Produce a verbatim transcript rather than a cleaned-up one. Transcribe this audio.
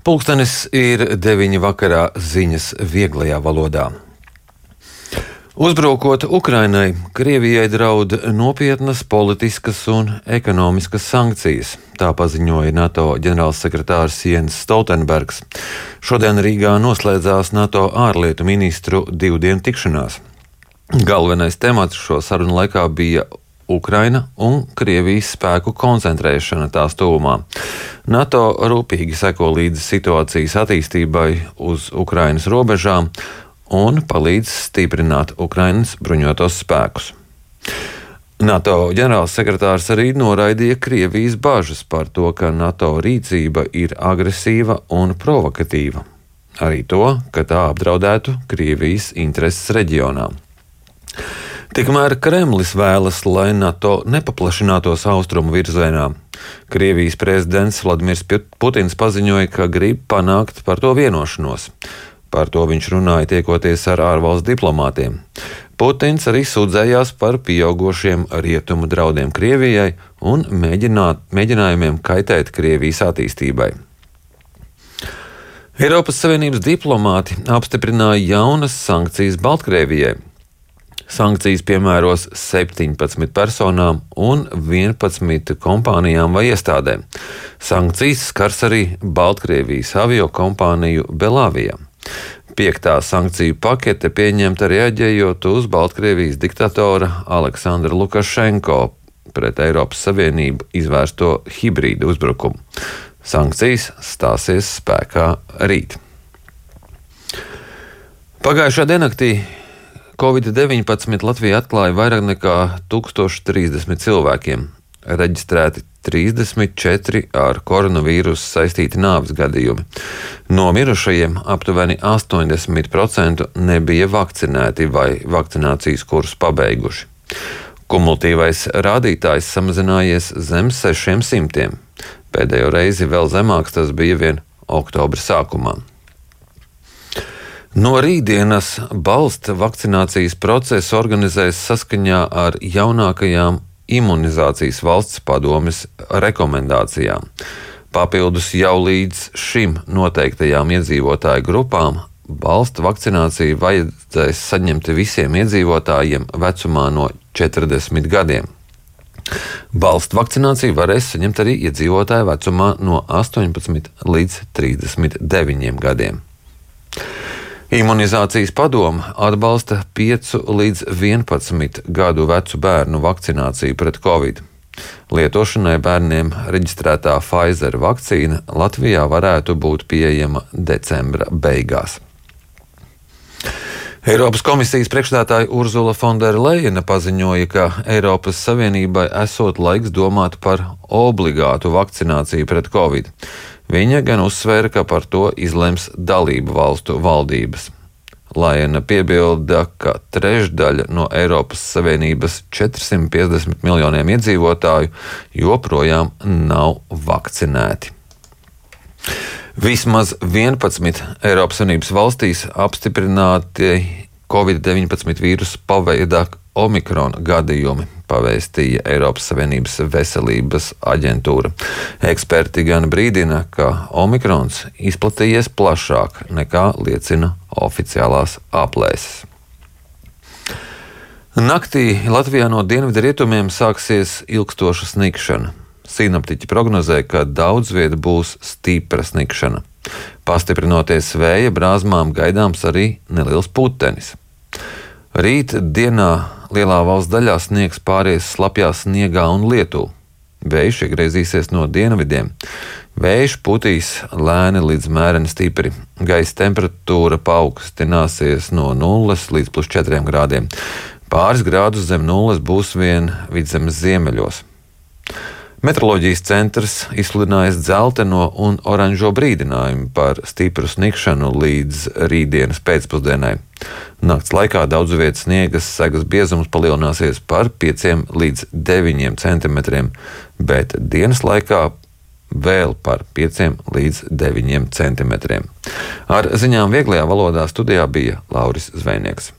Pulkstenis ir deviņi vakarā, ziņas vieglajā valodā. Uzbrukot Ukrainai, Krievijai draud nopietnas politiskas un ekonomiskas sankcijas. Tā paziņoja NATO ģenerālsekretārs Jens Stoltenbergs. Šodien Rīgā noslēdzās NATO ārlietu ministru divdienu tikšanās. Galvenais temats šo sarunu laikā bija Ukraina un Krievijas spēku koncentrēšana tās tuvumā. NATO rūpīgi seko līdzi situācijas attīstībai uz Ukrainas robežām un palīdz stiprināt Ukrainas bruņotos spēkus. NATO ģenerālsekretārs arī noraidīja Krievijas bažas par to, ka NATO rīcība ir agresīva un provokatīva. Arī to, ka tā apdraudētu Krievijas intereses reģionā. Tikmēr Kremlis vēlas, lai NATO nepaplašinātos austrumu virzienā. Krievijas prezidents Vladimirs Putins paziņoja, ka grib panākt par to vienošanos. Par to viņš runāja tiekoties ar ārvalstu diplomātiem. Putins arī sūdzējās par pieaugošiem rietumu draudiem Krievijai un mēģinājumiem kaitēt Krievijas attīstībai. Eiropas Savienības diplomāti apstiprināja jaunas sankcijas Baltkrievijai. Sankcijas piemēros septiņpadsmit personām un vienpadsmit kompānijām vai iestādēm. Sankcijas skars arī Baltkrievijas avio kompāniju Belavija. Piektā sankciju pakete pieņemta reaģējot uz Baltkrievijas diktatora Aleksandra Lukašenko pret Eiropas Savienību izvērsto hibrīdu uzbrukumu. Sankcijas stāsies spēkā rīt. Pagājušā diennaktī covid deviņpadsmit Latvijā atklāja vairāk nekā tūkstoš trīsdesmit cilvēkiem. Reģistrēti trīsdesmit četri ar koronavīrusu saistīti nāves gadījumi. No mirušajiem aptuveni astoņdesmit procenti nebija vakcinēti vai vakcinācijas kursu pabeiguši. Kumulatīvais rādītājs samazinājies zem sešiem simtiem. Pēdējo reizi vēl zemāks tas bija vien oktobra sākumā. No rītdienas balsta vakcinācijas procesu organizēs saskaņā ar jaunākajām imunizācijas valsts padomes rekomendācijām. Papildus jau līdz šim noteiktajām iedzīvotāju grupām balsta vakcināciju vajadzēs saņemt visiem iedzīvotājiem vecumā no četrdesmit gadiem. Balsta vakcināciju varēs saņemt arī iedzīvotāju vecumā no astoņpadsmit līdz trīsdesmit deviņiem gadiem. Imunizācijas padome atbalsta piecu līdz vienpadsmit gadu vecu bērnu vakcināciju pret covid. Lietošanai bērniem reģistrētā Pfizer vakcīna Latvijā varētu būt pieejama decembra beigās. Eiropas komisijas priekšstādātāja Urzula Fondera Lejena paziņoja, ka Eiropas Savienībai esot laiks domāt par obligātu vakcināciju pret covid. Viņa gan uzsvēra, ka par to izlems dalību valstu valdības. Lajena piebilda, ka trešdaļa no Eiropas Savienības četrsimt piecdesmit miljoniem iedzīvotāju joprojām nav vakcinēti. Vismaz vienpadsmit Eiropas Savienības valstīs apstiprināti covid deviņpadsmit vīrusu paveida Omikron gadījumi, pavēstīja Eiropas Savienības veselības aģentūra. Eksperti gan brīdina, ka Omikrons izplatījies plašāk nekā liecina oficiālās aplēses. Naktī Latvijā no dienvidu rietumiem sāksies ilgstoša snikšana. Sinoptiķi prognozē, ka daudz vieta būs stipra snikšana. Pastiprinoties vēja brāzmām gaidāms arī neliels putenis. Rīt dienā lielā valsts daļā sniegs pāries slapjā sniegā un lietū. Vējš iegriezīsies no dienvidiem. Vējš putīs lēni līdz mēreni stipri. Gaisa temperatūra paaugstināsies no nulles līdz plus četriem grādiem. Pāris grādus zem nulles būs vien vidzemes ziemeļos. Meteoroloģijas centrs izsludinājis dzelteno un oranžo brīdinājumu par stipru snikšanu līdz rītdienas pēcpusdienai. Nakts laikā daudzu vietu sniegas segas biezums palielināsies par pieciem līdz deviņiem centimetriem, bet dienas laikā vēl par pieciem līdz deviņiem centimetriem. Ar ziņām vieglajā valodā studijā bija Lauris Zvejnieks.